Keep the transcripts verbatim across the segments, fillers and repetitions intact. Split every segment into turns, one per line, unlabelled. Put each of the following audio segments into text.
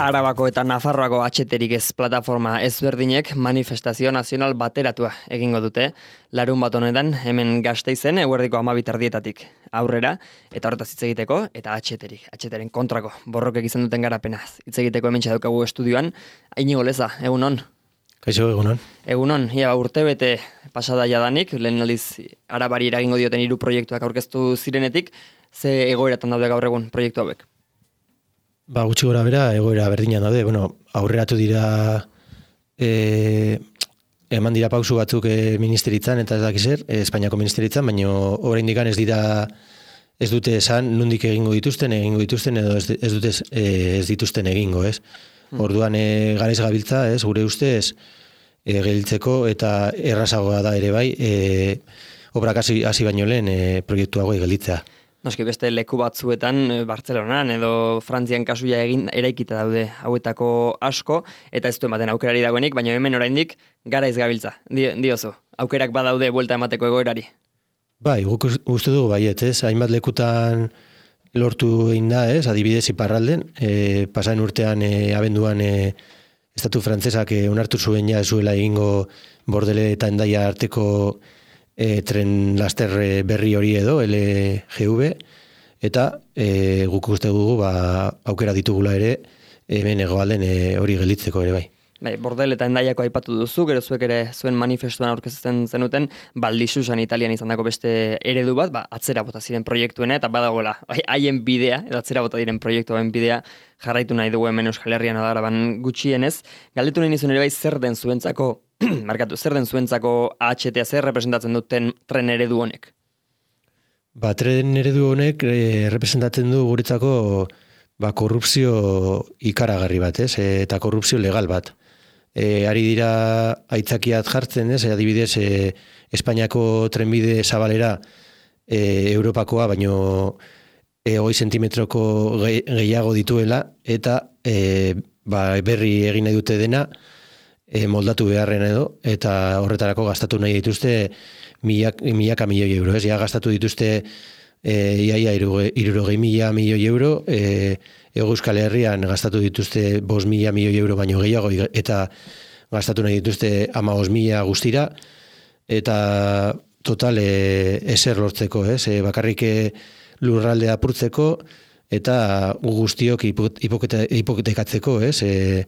Arabako eta Nafarroako atxeterik ez plataforma ezberdinek manifestazio nazional bateratua egingo dute. Larun bat honetan, hemen Gasteizen, eguerdiko hamabi erdietatik aurrera, eta horretaz hitz egiteko, eta atxeterik, atxeteren kontrako, borrokek izan duten garapenaz. Hitz egiteko hemen txadukagu estudioan, Iñigo Leza, egunon.
Kaixo, egunon.
Egunon, ia urte bete pasada jadanik, lehen aldiz Arabari eragingo dioten hiru proiektuak aurkeztu zirenetik, ze egoeratan daude gaur egun proiektu hauek?
Ba, gutxi gora bera, egoera berdinan daude. Bueno, aurreratu dira, e, eman dira pausu batzuk e, ministeritzan, eta ez dakizer, e, Espainiako ministeritzan, baina oraindik ez dira, ez dute esan, nondik egingo dituzten, egingo dituzten, edo ez, ez dute e, ez dituzten egingo, ez? Hmm. Orduan, e, garaiz gabiltza, ez, gure ustez, e, gelditzeko, eta errazagoa da ere bai, e, obrak hasi, hasi baino lehen e, proiektu hauek gelditzea.
Noski beste leku batzuetan, Bartzelonan edo Frantzian kasuia egin eraikita daude hauetako asko, eta ez du ematen aukerari dagoenik, baina hemen oraindik garaiz gabiltza, diozu. Aukerak badaude buelta emateko egoerari.
Bai, guk uste dugu baiet, ez? Hainbat lekutan lortu egin da, ez? Adibidez iparralden, e, pasaen urtean e, abenduan e, estatu frantzesak e, onartu zuen ja zuela egingo Bordele eta Hendaia arteko E, tren laster berri hori edo, L G V, eta e, guk uste dugu ba, aukera ditugula ere, hemen egoalden e, hori gelditzeko ere bai.
Bai, Bordel eta Hendaiako aipatu duzu, gero zuek ere zuen manifestuan aurkezten zenuten, Baldisusan Italian izandako beste eredu bat, ba, atzera bota ziren proiektuena, eta badagoela, haien bidea, edo atzera bota diren proiektuen bidea, jarraitu nahi dugu hemen Euskal Herrian Araban gutxienez. Galdetu nahi nizun ere bai zer den zuentzako, markatu, zer den zuentzako A H T A, zer representatzen duten tren eredu honek?
Ba, tren eredu honek e, representatzen du guretzako ba, korrupzio ikaragarri bat, ez? E, eta korrupzio legal bat. E, ari dira aitzakiat jartzen, ez? E, adibidez, e, Espainiako trenbide zabalera e, Europakoa, baino e, hogei sentimetroko ge, gehiago dituela, eta e, ba, berri egin nahi dute dena, e, moldatu beharren edo, eta horretarako gastatu nahi dituzte milak, milaka milioi euro, ez? Ja, gastatu dituzte e, iaia irurogei mila milioi euro, e, Ego Euskal Herrian gastatu dituzte bost mila milioi euro baino gehiago, eta gastatu nahi dituzte hamabost mila guztira, eta total e, ezer lortzeko, ez? E, bakarrik lurraldea apurtzeko, eta guztiok hipotekatzeko, ez? E,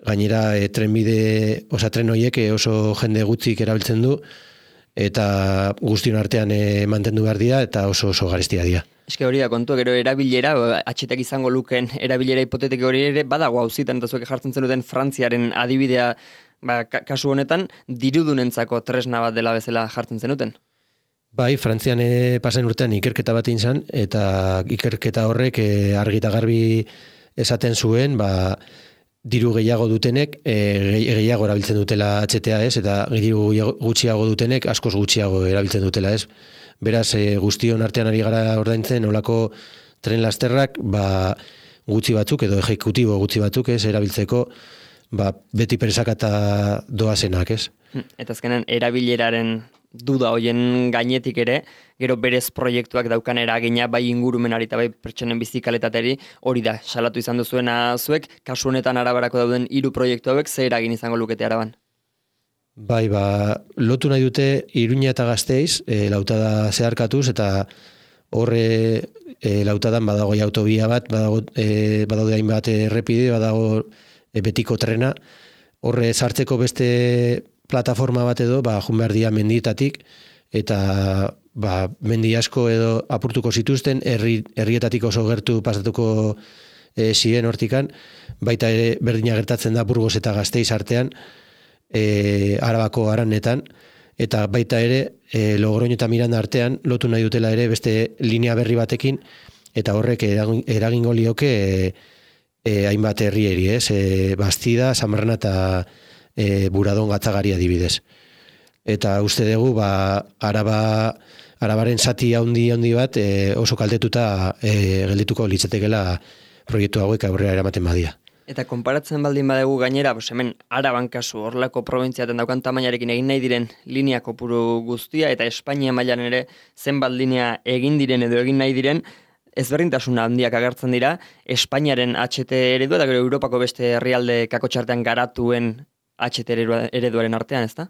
gainera e, trenbide, osa tren horiek oso jende gutzik erabiltzen du, eta guztion artean e, mantendu behar dira, eta oso oso garestia dira.
Eske hori da kontu, gero erabilera, atxetak izango luken erabilera hipotetiko hori ere, badago hauzitan, eta zuek jartzen zenuten Frantziaren adibidea, ba, kasu honetan, dirudunentzako tresna bat dela bezala jartzen zenuten?
Bai, Frantzian e, pasen urtean ikerketa bat izan, eta ikerketa horrek e, argi eta garbi esaten zuen, ba, diru gehiago dutenek, e, gehiago erabiltzen dutela H T A, ez? Eta diru gutxiago dutenek, askoz gutxiago erabiltzen dutela, ez? Beraz, e, guztion artean ari gara ordaintzen, olako tren lasterrak, ba, gutxi batzuk, edo ejekutibo gutxi batzuk, ez? Erabiltzeko, ba, beti presakata doazenak, ez?
Eta azkenan, erabileraren duda hoien gainetik ere, gero berez proiektuak daukan eragina bai ingurumenari eta bai pertsonen bizikaletateri, hori da, salatu izan duzuena zuek, kasu honetan Arabarako dauden hiru proiektu hauek ze eragin izango lukete Araban?
Bai, ba, lotu nahi dute Iruña eta Gasteiz, e, lautada zeharkatuz, eta horre e, lautadan badago autobia bat, badago, e, badaude hainbat errepide, badago e, betiko trena, horre sartzeko beste plataforma bat edo, ba, jun behar dia mendietatik, eta ba, mendi asko edo apurtuko zituzten, herri, herrietatik oso gertu pasatuko e, ziren hortikan, baita ere berdina gertatzen da Burgos eta Gasteiz artean, e, Arabako Aranetan, eta baita ere e, Logroño eta Miranda artean lotu nahi dutela ere beste linea berri batekin, eta horrek eragingo lioke e, e, hainbat herrieri, ez? E, Bastida, Samarrana eta E, Buradon Gatzagari adibidez. Eta uste dugu, ba, araba, arabaren zati handi handi bat e, oso kaltetuta e, geldituko litzatekela proiektu hauek aurrera eramaten badia.
Eta konparatzen baldin badegu gainera, pues hemen Araban kasu, horlako probintziaten daukan tamainarekin egin nahi diren linea kopuru guztia, eta Espainia mailan ere zenbat linea egin diren edo egin nahi diren, ezberdintasun handiak agertzen dira, Espainiaren H T eredua eta gero Europako beste herrialde kakotxartean garatuen H T ereduaren artean, ezta?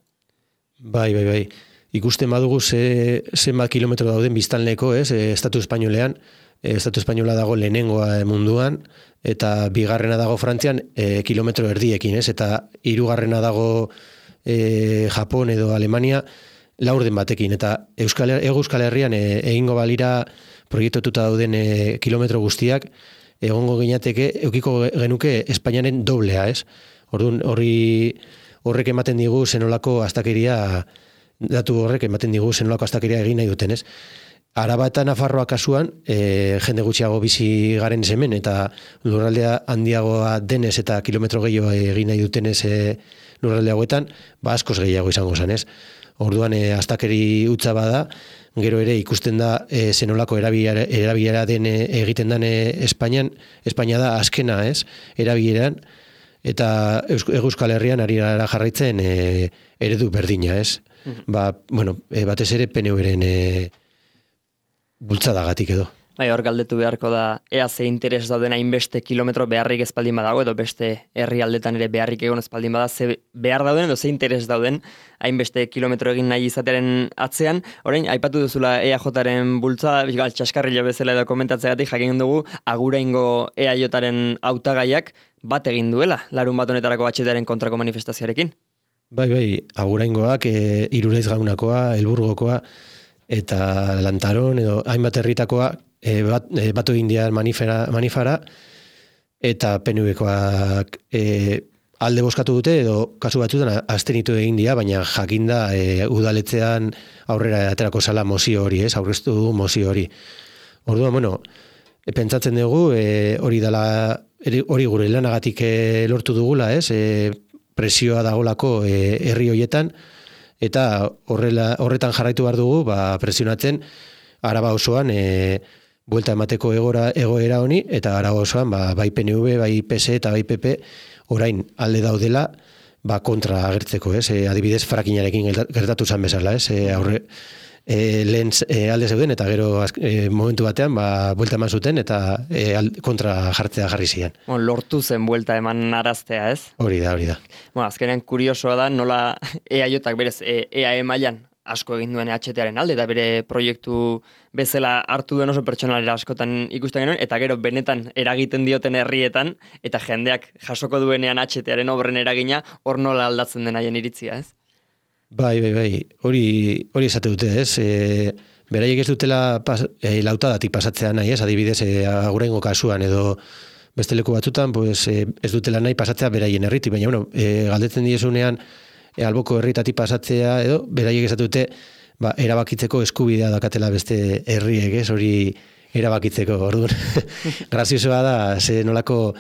Bai, bai, bai. Ikusten badugu ze, zenbat kilometro dauden biztanleko, ez, e, Estatu Espainolean, e, Estatu Espainola dago lehenengoa munduan, eta bigarrena dago Frantzian e, kilometro erdiekin, ez, eta hirugarrena dago e, Japon edo Alemania laurden batekin, eta Euskal, Ego Euskal Herrian e, egingo balira proiektututa dauden e, kilometro guztiak, egongo ginateke, eukiko genuke Espainiaren doblea, ez? Orduan, horri horrek ematen digu zenolako astakeria, datu horrek ematen digu zenolako astakeria egin nahi duten, ez? Araba eta Nafarroa kasuan, e, jende gutxiago bizi garen hemen eta lurraldea handiagoa denez eta kilometro gehiago egin nahi dutenez e, lurralde hauetan, ba askoz gehiago izango zen, ez? Orduan, e, astakeri utza bada, gero ere ikusten da e, zenolako erabilera, erabilera den e, egiten den e, Espainian, Espainia da azkena, ez? Erabileran, eta Euskal Herrian ari gara jarraitzen e, eredu berdina, ez? Mm-hmm. Ba, bueno, e, batez ere P N V-ren e, bultzadagatik edo.
Bai, hor galdetu beharko da, ea ze interes dauden hainbeste kilometro beharrik espaldin badago, edo beste herrialdetan ere beharrik egon espaldin bada, ze behar dauden edo ze interes dauden hainbeste kilometro egin nahi izatearen atzean. Orain, aipatu duzula E A Jaren bultza, gal, txaskarrila bezala edo komentatzeagatik jakin dugu, aguraingo E A Jaren hautagaiak bat egin duela, larun bat honetarako H T-aren kontrako manifestazioarekin.
Bai, bai, aguraingoak, e, Iruraiz Gaunakoa, Elburgokoa, eta Lantaron, edo hainbat herritakoa, e, bat, e, batu indian manifera, manifara, eta P N V-koak e, alde bozkatu dute, edo kasu batzutan abstenitu egin dira, baina jakinda e, udaletzean aurrera aterako zala mozio hori, ez, aurreztu du mozio hori. Orduan, bueno, e, pentsatzen dugu, e, hori dela, hori gure lanagatik e, lortu dugula, ez, e, presioa dagolako e, herri hoietan, eta horrela, horretan jarraitu behar dugu, ba, presionatzen Araba osoan e, buelta emateko egora, egoera honi, eta Araba osoan ba, bai P N V, bai P S eta bai P P orain alde daudela ba, kontra agertzeko, ez? E, adibidez frakinarekin gertatu zen bezala, ez? E, aurre, e, lehen e, alde zeuden, eta gero e, momentu batean ba, buelta eman zuten, eta e, kontra jartzea jarri zian.
Bon, lortu zen buelta eman araztea, ez?
Hori da, hori da.
Bueno, azkenean kuriosoa da, nola E A Jak berez E A E mailan asko egin duen H T-aren alde, eta bere proiektu bezala hartu duen oso pertsonalera askotan ikusten genuen, eta gero benetan eragiten dioten herrietan, eta jendeak jasoko duenean H T-aren obren eragina, hor nola aldatzen den haien iritzia, ez?
Bai, bai, bai, hori, hori esate dute, ez? E, beraiek ez dutela pas, e, lautadatik pasatzea nahi, ez? Adibidez, e, aguraingo kasuan, edo beste leku batzutan, pues, e, ez dutela nahi pasatzea beraien herriti, baina, bueno, e, galdetzen diezunean, E, alboko herritatik pasatzea, edo, beraiek esatu dute, ba, erabakitzeko eskubidea dakatela beste herriek, ez, hori erabakitzeko, orduan. Graziosoa da, ze nolako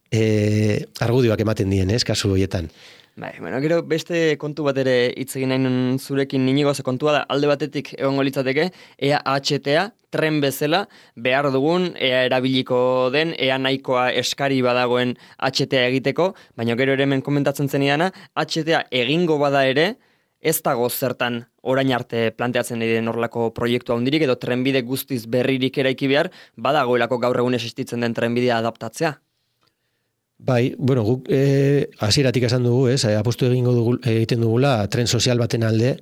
e, argudioak ematen dien, ez, kasu horietan.
Bai, bueno, gero beste kontu bat ere hitz egin nahi zurekin Inigo, ze kontua da, alde batetik egongo litzateke, ea H T-a, tren bezala, behar dugun, ea erabiliko den, ea nahikoa eskari badagoen H T-a egiteko, baina gero ere hemen komentatzen zeniana, H T-a egingo bada ere, ez dago zertan orain arte planteatzen den horrelako proiektu handirik, edo trenbide guztiz berririk eraiki behar, badagoelako gaur egun existitzen den trenbidea adaptatzea.
Bai, bueno, guk eh, hasieratik esan dugu, ez, apustu egingo dugu, egiten dugula tren sozial baten alde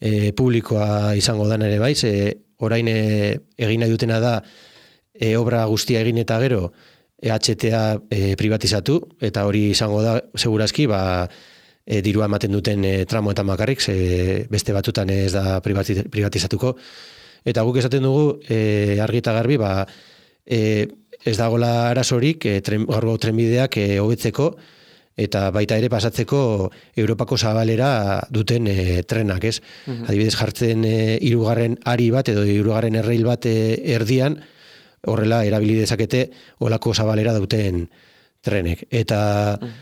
eh, publikoa izango dan ere bai, ze orain eh, egin nahi dutena da eh, obra guztia egin eta gero E H T-a eh, privatizatu, eta hori izango da, segurazki, ba, eh, dirua ematen duten eh, tramoetan bakarrik, ze beste batutan ez da privatizatuko, eta guk esaten dugu eh, argi eta garbi, ba, eh, ez dagoela arazorik e, tren, gaurko trenbideak e, hobetzeko eta baita ere pasatzeko Europako zabalera duten e, trenak, ez? Uh-huh. Adibidez jartzen e, hirugarren ari bat edo hirugarren erreil bat e, erdian, horrela erabili dezakete olako zabalera duten trenek. Eta uh-huh.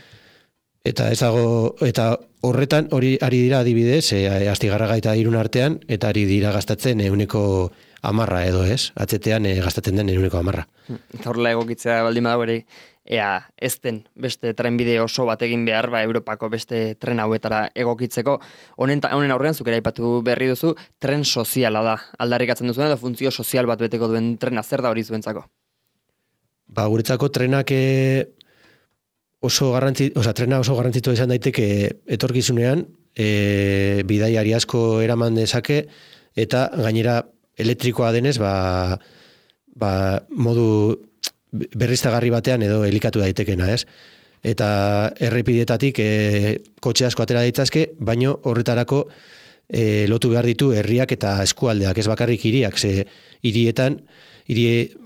eta ez dago, eta horretan hori ari dira adibidez, e, Astigarraga eta Irun artean, eta ari dira gastatzen ehuneko amarra edo, ez? Atzetean e, gastatzen den ehuneko amarra.
Eta horrela egokitzea baldin badago ere ea ez den beste trenbide oso bat egin behar, ba, Europako beste tren hauetara egokitzeko. Honen, honen aurrean, zuk ere aipatu berri duzu, tren soziala da. Aldarrikatzen duzuen edo funtzio sozial bat beteko duen trena, zer da hori zuentzako?
Ba, guretzako trenak e, oso garrantzi, oza, trena oso garrantzitua izan daiteke etorkizunean, e, bidaiari asko eraman dezake, eta gainera elektrikoa denez, ba, ba, modu berriztagarri batean edo elikatu daitekena, ez? Eta errepideetatik e, kotxe asko atera ditzazke, baino horretarako e, lotu behar ditu herriak eta eskualdeak, ez bakarrik hiriak, ze hirietan, hiri,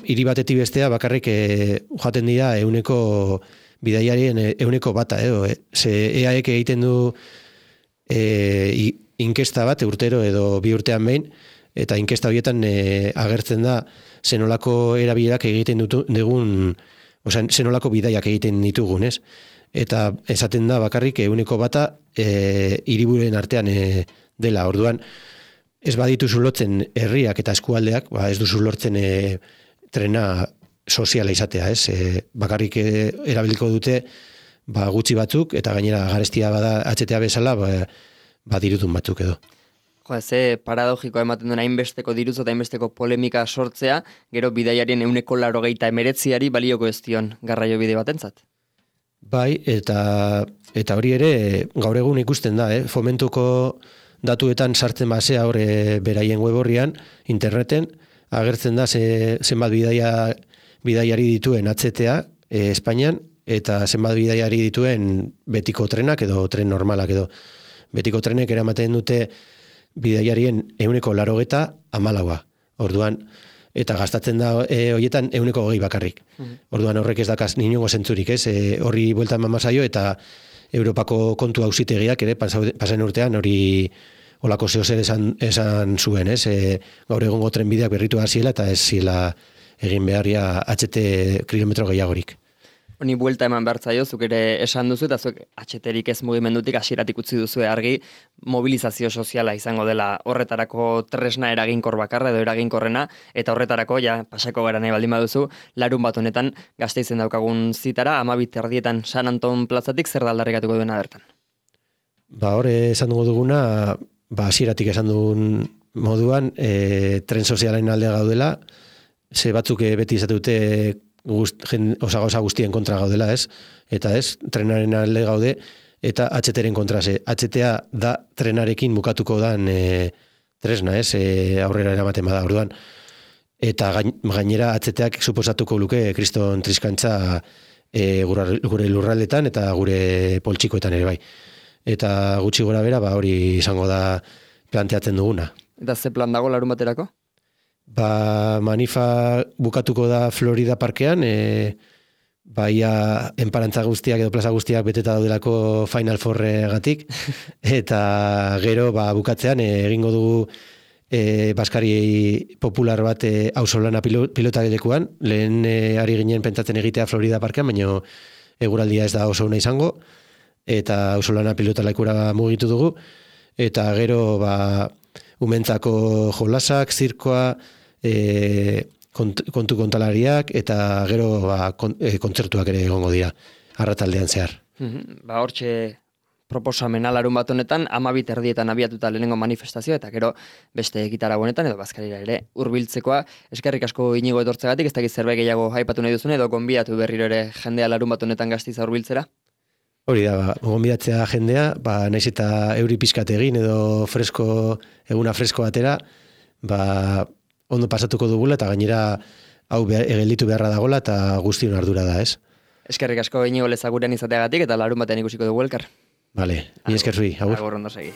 hiri batetik bestea bakarrik e, jaten dira euneko bidaiarien euneko bata, edo, e, ze E A Ek egiten du e, inkesta bat urtero edo bi urtean behin, eta inkesta horietan e, agertzen da zenolako erabilerak egiten dutu, dugun, oza, zenolako bidaiak egiten ditugun, ez? Eta esaten da bakarrik euneko bata e, hiribururen artean e, dela, orduan, ez badituzu lotzen herriak eta eskualdeak, ba ez duzu lortzen e, trena soziala izatea, ez? E, bakarrik e, erabiliko dute ba, gutxi batzuk, eta gainera garestia bada H T A bezala, ba, ba dirutun batzuk edo.
Jo, ze paradogikoa ematen duen hainbesteko diruz eta hainbesteko polemika sortzea, gero bidaiarien euneko laurogeita emeretziari balioko ez dion garraio bide batentzat.
Bai, eta eta hori ere gaur egun ikusten da, eh? Fomentuko datuetan sartzen basea hor beraien web horrian, interneten, agertzen da ze, zenbat bidaia, bidaiari dituen H T A e, Espainian, eta zenbat bidaiari dituen betiko trenak edo tren normalak edo. Betiko trenek eramaten dute bidaiarien euneko larogeta amalaua. Orduan, eta gastatzen da e, horietan euneko hogei bakarrik. Orduan horrek ez dakaz ninongo zentzurik, ez? E, horri buelta eman mazaio eta Europako kontu auzitegiak ere pasen urtean hori olako zeo zer esan, esan zuen, ez? E, gaur egongo trenbideak berritu hasiela eta ez ziela egin beharria H T kilometro gehiagorik.
Honi buelta eman behartzaio, zuk ere esan duzu, eta zuk H T-rik ez mugimendutik hasieratik utzi duzu argi mobilizazio soziala izango dela horretarako tresna eraginkor bakarra edo eraginkorrena, eta horretarako, ja, pasako gara nahi baldin baduzu, larun bat honetan Gasteizen daukagun zitara, amabit erdietan San Anton plazatik zer da aldarrikatuko duena bertan?
Ba, hor esan dugu duguna, ba, hasieratik esan dugun moduan, e, tren sozialen alde gaudela, ze batzuk beti izatute Gust, jen, osa gauza guztien kontra gaudela, ez? Eta ez, trenaren alde gaude, eta H T-ren kontra ze. H T A da trenarekin bukatuko dan e, tresna, ez? E, aurrera eramaten bada, orduan. Eta gainera H T-ak suposatuko luke kriston triskantza e, gure lurraldetan eta gure poltsikoetan ere bai. Eta gutxi gora bera, ba, hori izango da planteatzen duguna.
Eta ze plan dago larun baterako?
Ba, manifa bukatuko da Florida parkean, e, baia enparantza guztiak edo plaza guztiak beteta daudelako Final Fourregatik, eta gero ba, bukatzean e, egingo dugu e, baskari popular bat e, ausolana pilota gelekuan, lehen e, ari ginen pentsatzen egitea Florida parkean, baina eguraldia ez da oso ona izango, eta ausolana pilota lekura mugitu dugu, eta gero ba, umentzako jolasak, zirkoa, E, kont, kontu kontalariak eta gero ba, kon, e, kontzertuak ere egongo dira arrataldean zehar.
Mm-hmm. Ba, hortxe proposamena larun bat honetan, amabit erdietan abiatuta lehenengo manifestazio eta gero beste gitara honetan edo bazkarira ere hurbiltzekoa. Eskerrik asko Inigo etortzegatik, ez dakit zerbait gehiago aipatu nahi duzune edo gonbidatu berriro ere jendea larun bat honetan Gasteiza hurbiltzera?
Hori da, ba, gonbidatzea jendea, ba, naiz eta euri pizkat egin edo fresko, eguna fresko atera, ba, ondo pasatuko dugula eta gainera hau egelitu beharra dagola eta guztion ardura da, ez?
Eskerrik asko Inigo Lezaguren izateagatik eta larun batean ikusiko dugu elkar.
Vale, ni esker zui, agur.
Agur, ondo segi.